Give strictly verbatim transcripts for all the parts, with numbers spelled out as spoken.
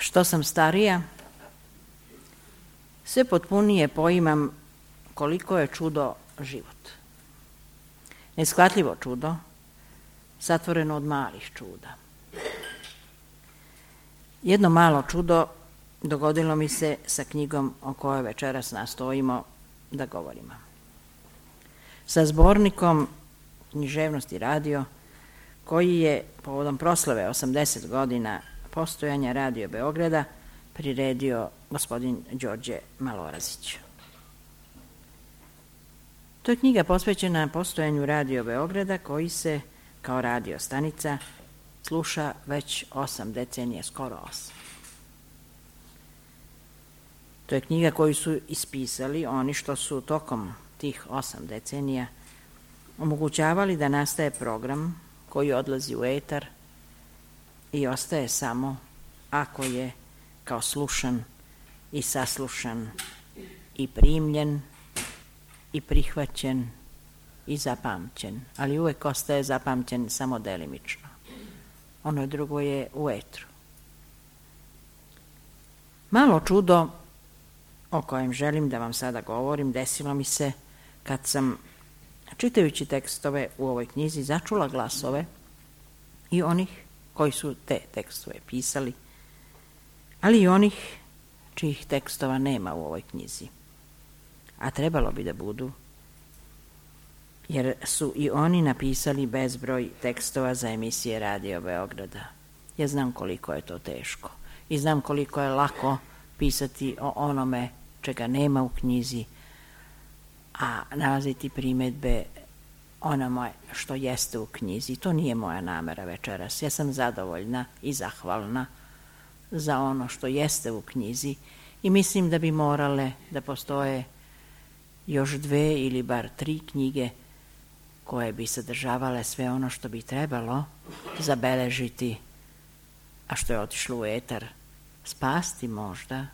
Što sam starija, sve potpunije poimam koliko je čudo život. Neshvatljivo čudo, satvoreno od malih čuda. Jedno malo čudo dogodilo mi se sa knjigom o kojoj večeras nastojimo da govorimo. Sa zbornikom Književnost i radio, koji je povodom proslave osamdeset godina postojanja Radio Beograda priredio gospodin Đorđe Malorazić. To je knjiga posvećena postojanju Radio Beograda, koji se kao radio stanica sluša već osam decenija, skoro osam. To je knjiga koju su ispisali oni što su tokom tih osam decenija omogućavali da nastaje program koji odlazi u etar i ostaje samo ako je kao slušan i saslušan i primljen i prihvaćen i zapamćen, ali uvek ostaje zapamćen samo delimično. Ono drugo je u etru. Malo čudo o kojem želim da vam sada govorim desilo mi se kad sam, čitajući tekstove u ovoj knjizi, začula glasove i onih koji su te tekstove pisali, ali i onih čijih tekstova nema u ovoj knjizi. A trebalo bi da budu, jer su i oni napisali bezbroj tekstova za emisije Radio Beograda. Ja znam koliko je to teško i znam koliko je lako pisati o onome čega nema u knjizi, a nalaziti primedbe onome što jeste u knjizi. To nije moja namera večeras. Ja sam zadovoljna i zahvalna za ono što jeste u knjizi i mislim da bi morale da postoje još dve ili bar tri knjige koje bi sadržavale sve ono što bi trebalo zabeležiti, a što je otišlo u etar, spasti možda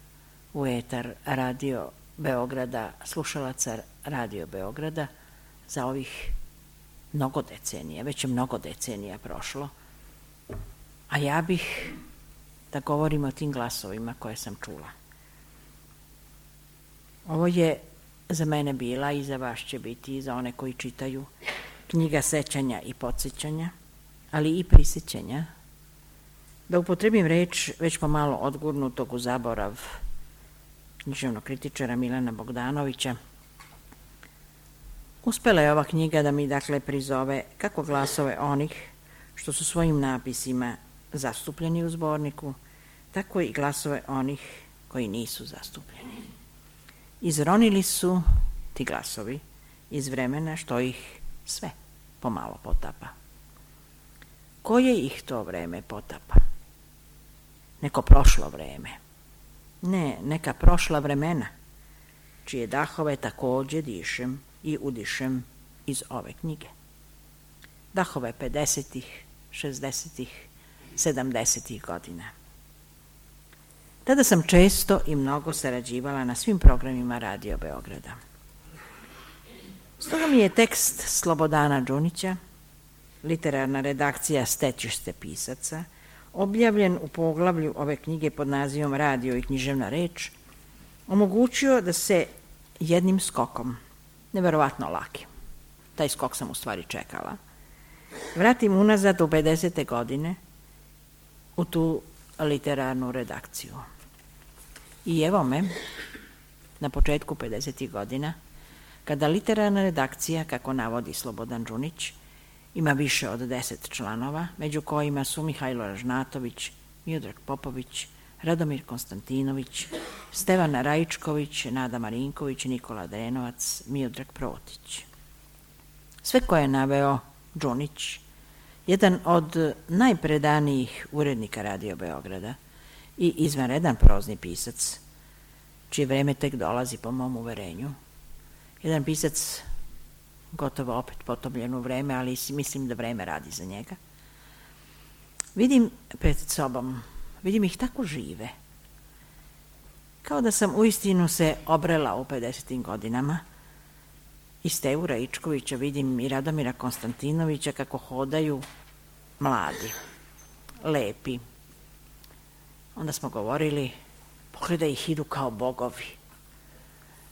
u etar Radio Beograda, slušalaca Radio Beograda za ovih mnogo decenija, već je mnogo decenija prošlo, a ja bih da govorim o tim glasovima koje sam čula. Ovo je za mene bila i za vas će biti i za one koji čitaju knjiga sećanja i podsjećanja, ali i prisjećanja, da upotrebim reč već pomalo odgurnutog u zaborav književnog kritičara Milana Bogdanovića. Uspela je ova knjiga da mi dakle prizove kako glasove onih što su svojim napisima zastupljeni u zborniku, tako i glasove onih koji nisu zastupljeni. Izronili su ti glasovi iz vremena što ih sve pomalo potapa. Koje ih to vreme potapa? Neko prošlo vreme. Ne, neka prošla vremena, čije dahove takođe dišem i udišem iz ove knjige. Dahove pedesetih, šezdesetih, sedamdesetih godina. Tada sam često i mnogo sarađivala na svim programima Radio Beograda. Stoga mi je tekst Slobodana Đunića, literarna redakcija Stecište pisaca, objavljen u poglavlju ove knjige pod nazivom Radio i književna reč, omogućio da se jednim skokom, neverovatno lakim, taj skok sam u stvari čekala, vratim unazad u pedesete godine u tu literarnu redakciju. I evo me, na početku pedesetih godina, kada literarna redakcija, kako navodi Slobodan Đunić, ima više od deset članova, među kojima su Mihajlo Ražnatović, Miodrag Popović, Radomir Konstantinović, Stevana Rajičković, Nada Marinković, Nikola Drenovac, Miodrag Protić. Sve koje je naveo Đunić, jedan od najpredanijih urednika Radio Beograda i izvanredan prozni pisac, čije vreme tek dolazi po mom uverenju. Jedan pisac gotovo opet potopljen u vreme, ali mislim da vreme radi za njega. Vidim pred sobom, vidim ih tako žive, kao da sam uistinu se obrela u pedesetim godinama. I Stevu Rajičkovića vidim i Radomira Konstantinovića kako hodaju mladi, lepi, onda smo govorili, pogledaj ih, idu kao bogovi.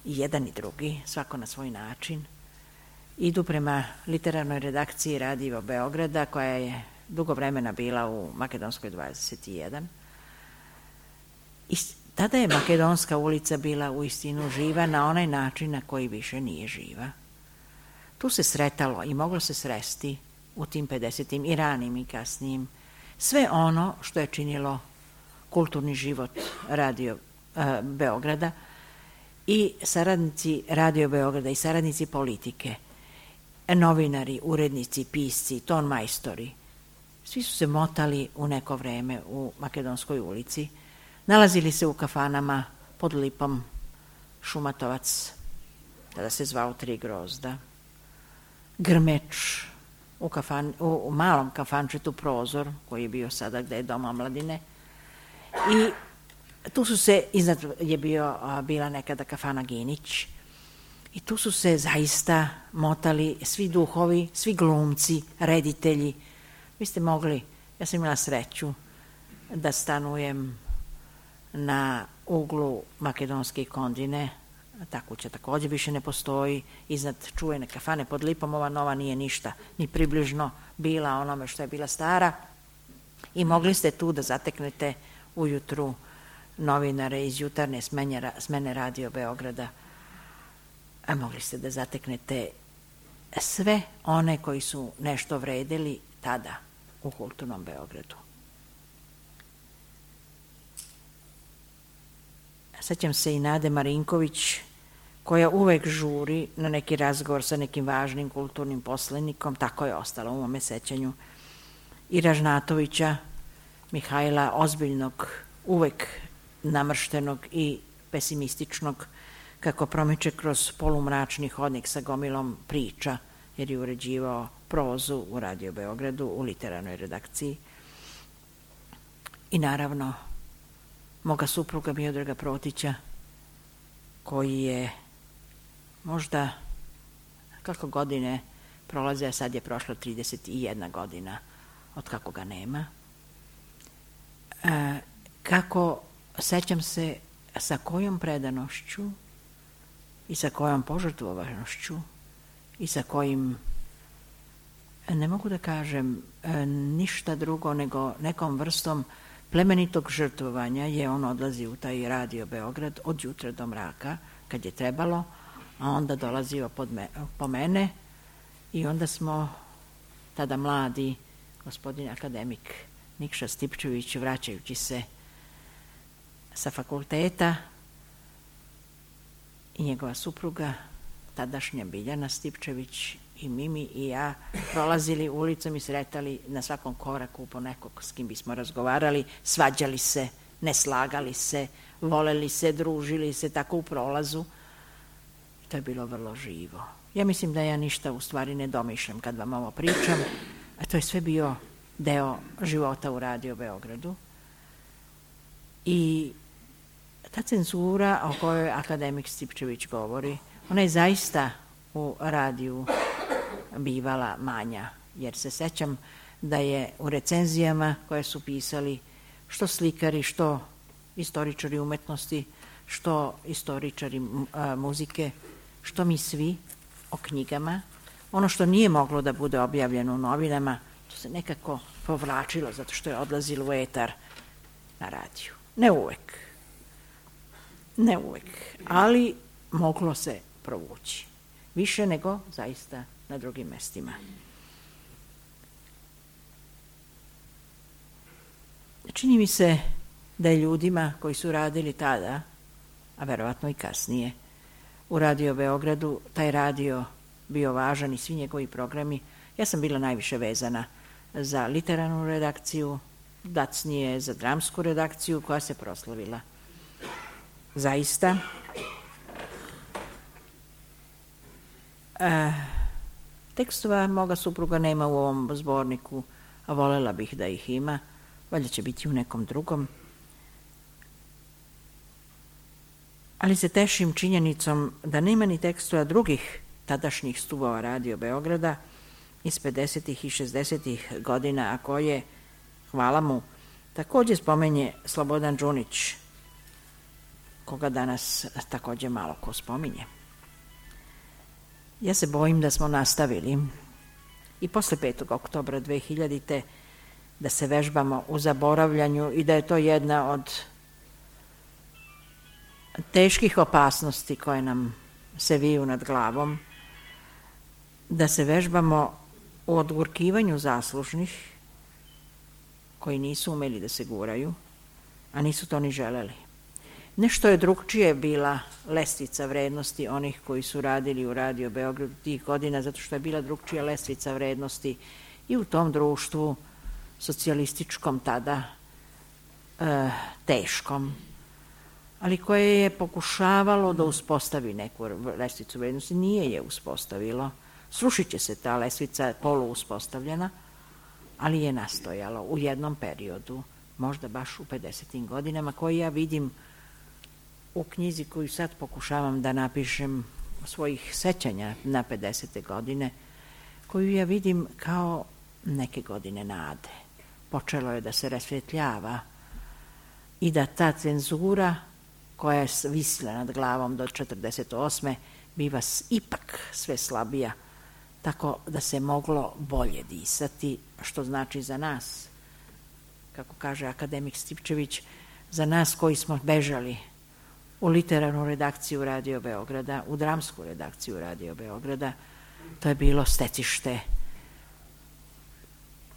I jedan i drugi, svako na svoj način, idu prema literarnoj redakciji Radio Beograda, koja je dugo vremena bila u Makedonskoj dvadeset jedan. I tada je Makedonska ulica bila uistinu živa na onaj način na koji više nije živa. Tu se sretalo i moglo se sresti u tim pedesetim i ranim i kasnijim sve ono što je činilo kulturni život Radio e, Beograda i saradnici Radio Beograda i saradnici politike, novinari, urednici, pisci, tonmajstori, svi su se motali u neko vreme u Makedonskoj ulici, nalazili se u kafanama pod Lipom, Šumatovac, tada se zvao Tri grozda, Grmeč, u, kafan, u, u malom kafančetu Prozor, koji je bio sada gde je Dom omladine, i tu su se, iznad je bio, bila nekada kafana Ginić, i tu su se zaista motali svi duhovi, svi glumci, reditelji. Vi ste mogli, ja sam imala sreću da stanujem na uglu Makedonske i Kondine, ta kuća takođe više ne postoji, iznad čuvene kafane pod Lipom, ova nova nije ništa, ni približno bila onome što je bila stara, i mogli ste tu da zateknete ujutru novinare iz jutarnje smene Radio Beograda, a mogli ste da zateknete sve one koji su nešto vredeli tada u kulturnom Beogradu. Sećam se i Nade Marinković, koja uvek žuri na neki razgovor sa nekim važnim kulturnim poslenikom, tako je ostalo u mome sećanju, i Ražnatovića, Mihajla, ozbiljnog, uvek namrštenog i pesimističnog, kako promiče kroz polumračni hodnik sa gomilom priča, jer je uređivao prozu u Radio Beogradu, u literarnoj redakciji. I naravno, moga supruga Miodraga Protića, koji je možda, kako godine prolaze, a sad je prošlo trideset jedna godina od kako ga nema, e, kako sećam se sa kojom predanošću i sa kojom požrtvovanošću i sa kojim, ne mogu da kažem ništa drugo nego nekom vrstom plemenitog žrtvovanja je on odlazi u taj Radio Beograd od jutra do mraka kad je trebalo, a onda dolazio pod me, po mene i onda smo tada mladi, gospodin akademik Nikša Stipčević, vraćajući se sa fakulteta, i njegova supruga, tadašnja Biljana Stipčević, i Mimi i ja prolazili ulicom i sretali na svakom koraku po nekog s kim bismo razgovarali, svađali se, ne slagali se, voleli se, družili se tako u prolazu. To je bilo vrlo živo. Ja mislim da ja ništa u stvari ne domišljam kad vam ovo pričam, a to je sve bio deo života u Radio Beogradu. I ta cenzura o kojoj akademik Stipčević govori, ona je zaista u radiju bivala manja, jer se sećam da je u recenzijama koje su pisali što slikari, što istoričari umetnosti, što istoričari muzike, što mi svi o knjigama, ono što nije moglo da bude objavljeno u novinama, to se nekako povlačilo zato što je odlazilo u etar na radiju. Ne uvek. Ne uvek, ali moglo se provući. Više nego zaista na drugim mestima. Čini mi se da je ljudima koji su radili tada, a verovatno i kasnije, u Radio Beogradu, taj radio bio važan i svi njegovi programi. Ja sam bila najviše vezana za literarnu redakciju, dacnije za dramsku redakciju koja se proslavila. Zaista. E, tekstova moga supruga nema u ovom zborniku, a volela bih da ih ima, valjda će biti u nekom drugom. Ali se tešim činjenicom da nema ni tekstova drugih tadašnjih stubova Radio Beograda iz pedesetih i šezdesetih godina, a koje, hvala mu, također spomenje Slobodan Đunić, koga danas također malo ko spominje. Ja se bojim da smo nastavili i posle petog oktobra dve hiljadite da se vežbamo u zaboravljanju i da je to jedna od teških opasnosti koje nam se viju nad glavom, da se vežbamo u odgurkivanju zaslužnih koji nisu umeli da se guraju, a nisu to ni želeli. Nešto je drugčije bila lestvica vrednosti onih koji su radili u Radio Beogradu tih godina, zato što je bila drugčija lestvica vrednosti i u tom društvu socijalističkom tada, e, teškom, ali koje je pokušavalo da uspostavi neku lestvicu vrednosti. Nije je uspostavilo. Srušit će se ta lestvica polu uspostavljena, ali je nastojalo u jednom periodu, možda baš u pedesetim godinama, koji ja vidim u knjizi koju sad pokušavam da napišem svojih sećanja na pedesete godine, koju ja vidim kao neke godine nade. Počelo je da se rasvetljava i da ta cenzura koja je visila nad glavom do četrdeset osme biva ipak sve slabija, tako da se moglo bolje disati, što znači za nas, kako kaže akademik Stipčević, za nas koji smo bežali u literarnu redakciju Radio Beograda, u dramsku redakciju Radio Beograda, to je bilo stecište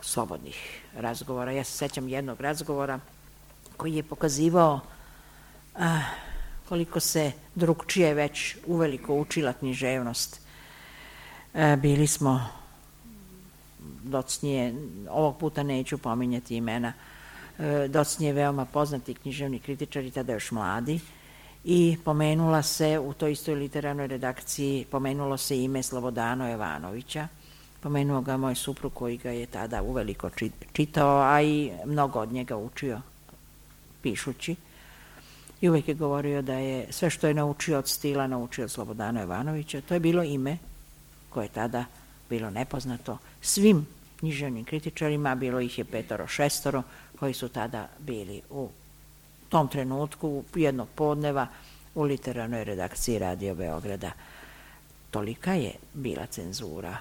slobodnih razgovora. Ja se sećam jednog razgovora koji je pokazivao a, koliko se drugčije već uveliko učila književnost. A, bili smo docnije, ovog puta neću pominjati imena, a, docnije veoma poznati književni kritičari, tada još mladi, i pomenula se u toj istoj literarnoj redakciji, pomenulo se ime Slobodana Jovanovića, pomenuo ga moj suprug koji ga je tada uveliko čitao, a i mnogo od njega učio pišući. I uvijek je govorio da je sve što je naučio od stila naučio od Slobodana Jovanovića. To je bilo ime koje je tada bilo nepoznato svim književnim kritičarima, bilo ih je petoro, šestoro koji su tada bili u tom trenutku jednog podneva u literarnoj redakciji Radio Beograda. Tolika je bila cenzura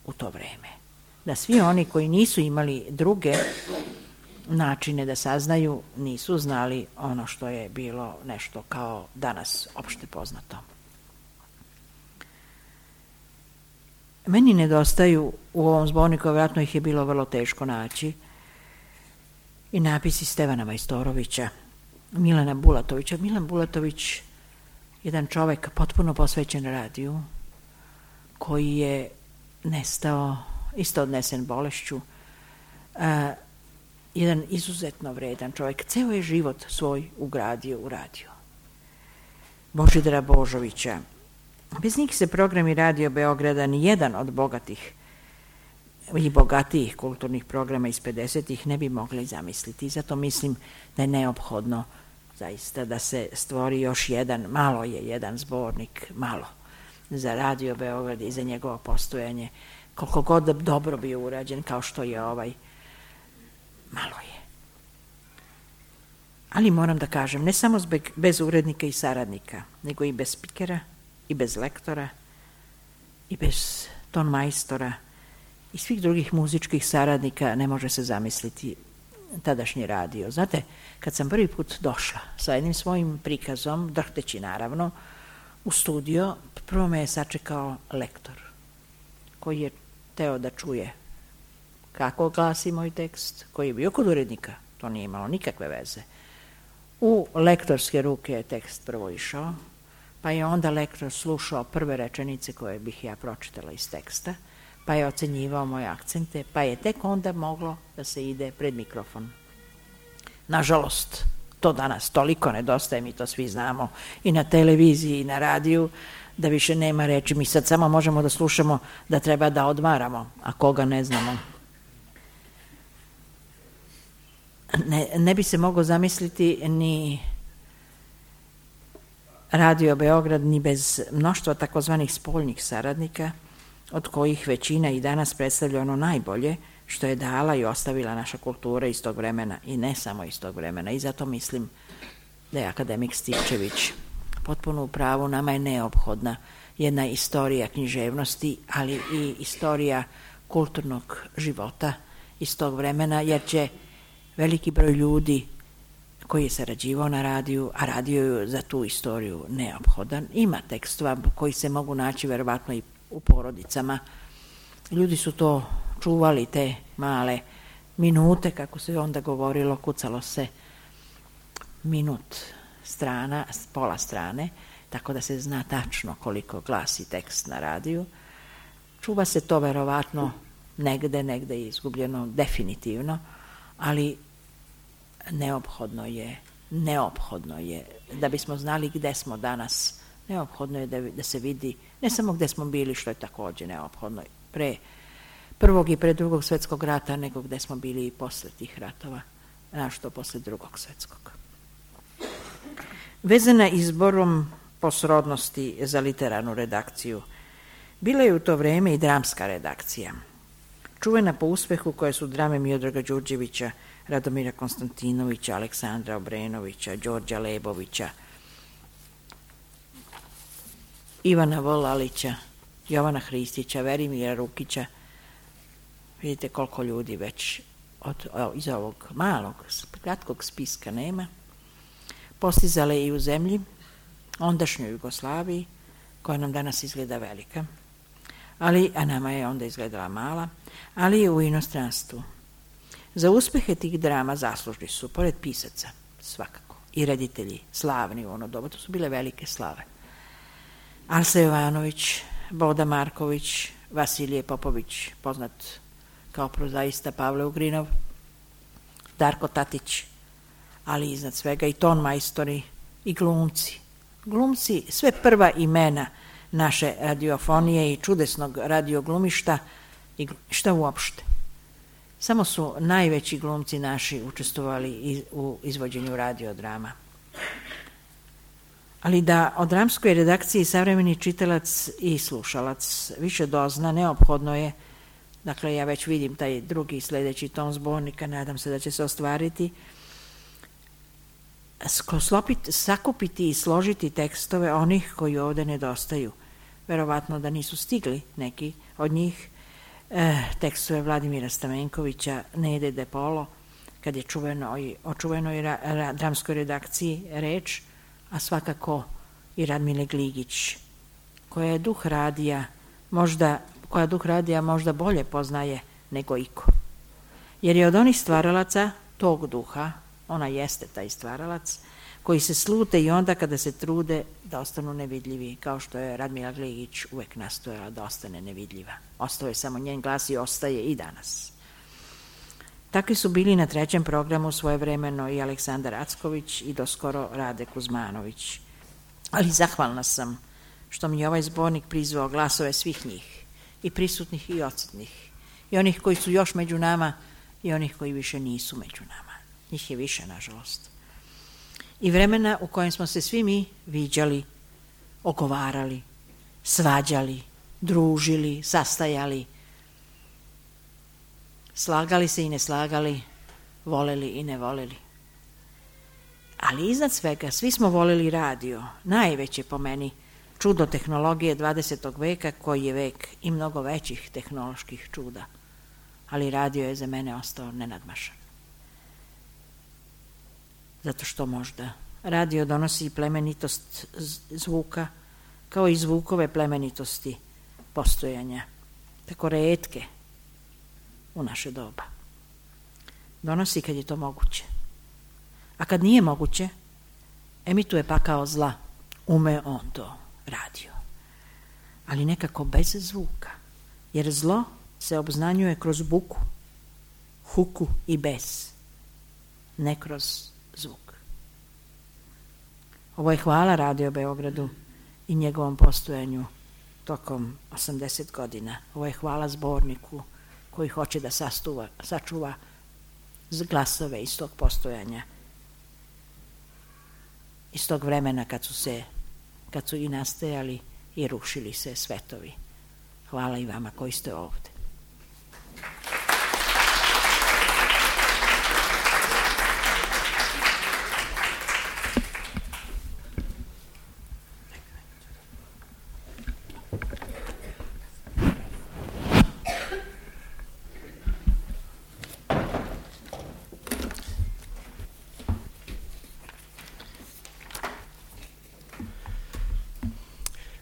u to vreme, da svi oni koji nisu imali druge načine da saznaju, nisu znali ono što je bilo nešto kao danas opšte poznato. Meni nedostaju u ovom zborniku, vjerojatno ih je bilo vrlo teško naći, i napisi Stevana Majstorovića, Milana Bulatovića. Milan Bulatović, jedan čovek potpuno posvećen radiju, koji je nestao, isto odnesen bolešću, a, jedan izuzetno vredan čovjek, ceo je život svoj ugradio u radiju. Božidara Božovića. Bez njih se programi Radio Beograda ni jedan od bogatih i bogatijih kulturnih programa iz pedesetih ne bi mogli zamisliti. Zato mislim da je neophodno zaista da se stvori još jedan, malo je jedan zbornik, malo, za Radio Beograd i za njegovo postojanje, koliko god dobro bio urađen kao što je ovaj, malo je. Ali moram da kažem, ne samo bez urednika i saradnika, nego i bez spikera, i bez lektora, i bez tonmajstora, i svih drugih muzičkih saradnika ne može se zamisliti tadašnji radio. Znate, kad sam prvi put došla sa jednim svojim prikazom, drhteći naravno, u studio, prvo me je sačekao lektor, koji je teo da čuje kako glasi moj tekst, koji je bio kod urednika, to nije imalo nikakve veze. U lektorske ruke je tekst prvo išao, pa je onda lektor slušao prve rečenice koje bih ja pročitala iz teksta, pa je ocenjivao moje akcente, pa je tek onda moglo da se ide pred mikrofon. Nažalost, to danas toliko nedostaje, mi to svi znamo, i na televiziji i na radiju, da više nema reči. Mi sad samo možemo da slušamo da treba da odmaramo, a koga ne znamo. Ne, ne bi se moglo zamisliti ni Radio Beograd ni bez mnoštva takozvanih spoljnih saradnika, od kojih većina i danas predstavlja ono najbolje, što je dala i ostavila naša kultura iz tog vremena i ne samo iz tog vremena. I zato mislim da je akademik Stičević potpuno u pravu. Nama je neophodna jedna istorija književnosti, ali i istorija kulturnog života iz tog vremena, jer će veliki broj ljudi koji je sarađivao na radiju, a radio je za tu istoriju neophodan. Ima tekstova koji se mogu naći verovatno i u porodicama. Ljudi su to čuvali, te male minute, kako se onda govorilo, kucalo se minut strana, pola strane, tako da se zna tačno koliko glasi tekst na radiju. Čuva se to verovatno negde, negde je izgubljeno definitivno, ali neophodno je, neophodno je, da bismo znali gde smo danas, neophodno je da, da se vidi, ne samo gde smo bili, što je takođe neophodno, pre prvog i pre drugog svetskog rata, nego gde smo bili i posle tih ratova, našto posle drugog svetskog. Vezana izborom po srodnosti za literarnu redakciju, bila je u to vreme i dramska redakcija. Čuvena po uspehu koje su drame Miodraga Đurđevića, Radomira Konstantinovića, Aleksandra Obrenovića, Đorđa Lebovića, Ivana Volalića, Jovana Hristića, Verimira Rukića. Vidite koliko ljudi već od, iz ovog malog, kratkog spiska nema. Postizale i u zemlji, ondašnjoj Jugoslaviji, koja nam danas izgleda velika, ali, a nama je onda izgledala mala, ali i u inostranstvu. Za uspehe tih drama zaslužni su, pored pisaca, svakako, i reditelji, slavni u ono doba, to su bile velike slave. Alsa Jovanović, Boda Marković, Vasilije Popović, poznat kao prozaista Pavle Ugrinov, Darko Tatić, ali iznad svega i ton majstori i glumci. Glumci, sve prva imena naše radiofonije i čudesnog radioglumišta i šta uopšte. Samo su najveći glumci naši učestvovali u izvođenju radiodrama. Ali da o dramskoj redakciji savremeni čitalac i slušalac više dozna, neophodno je, dakle ja već vidim taj drugi sledeći tom zbornika, nadam se da će se ostvariti, sklopiti, sakupiti i složiti tekstove onih koji ovde nedostaju. Verovatno da nisu stigli neki od njih, e, tekstove Vladimira Stamenkovića, Nede De Polo, kad je čuveno, o čuvenoj ra, ra, dramskoj redakciji reč, a svakako i Radmile Gligić, koja je duh radija, možda, koja duh radija možda bolje poznaje nego iko. Jer je od onih stvaralaca tog duha, ona jeste taj stvaralac, koji se slute i onda kada se trude da ostanu nevidljivi, kao što je Radmila Gligić uvek nastojala da ostane nevidljiva. Ostao je samo njen glas i ostaje i danas. Takvi su bili na trećem programu svojevremeno i Aleksandar Acković i doskoro Rade Kuzmanović. Ali zahvalna sam što mi je ovaj zbornik prizvao glasove svih njih, i prisutnih i odsutnih, i onih koji su još među nama i onih koji više nisu među nama. Njih je više, nažalost. I vremena u kojem smo se svi mi viđali, ogovarali, svađali, družili, sastajali, slagali se i ne slagali, voleli i ne voleli. Ali iznad svega, svi smo voleli radio, najveće po meni čudo tehnologije dvadesetog veka, koji je vek i mnogo većih tehnoloških čuda. Ali radio je za mene ostao nenadmašan. Zato što možda radio donosi plemenitost zvuka, kao i zvukove plemenitosti postojanja, tako retke u naše doba. Donosi kad je to moguće. A kad nije moguće, emituje pakao zla. Ume on to, radio. Ali nekako bez zvuka, jer zlo se obznanjuje kroz buku, huku i bes, ne kroz zvuk. Ovo je hvala Radio Beogradu i njegovom postojanju tokom osamdeset godina. Ovo je hvala zborniku koji hoće da sastuva, sačuva glasove iz tog postojanja, iz tog vremena kad su se, kad su i nastajali i rušili se svetovi. Hvala i vama koji ste ovde.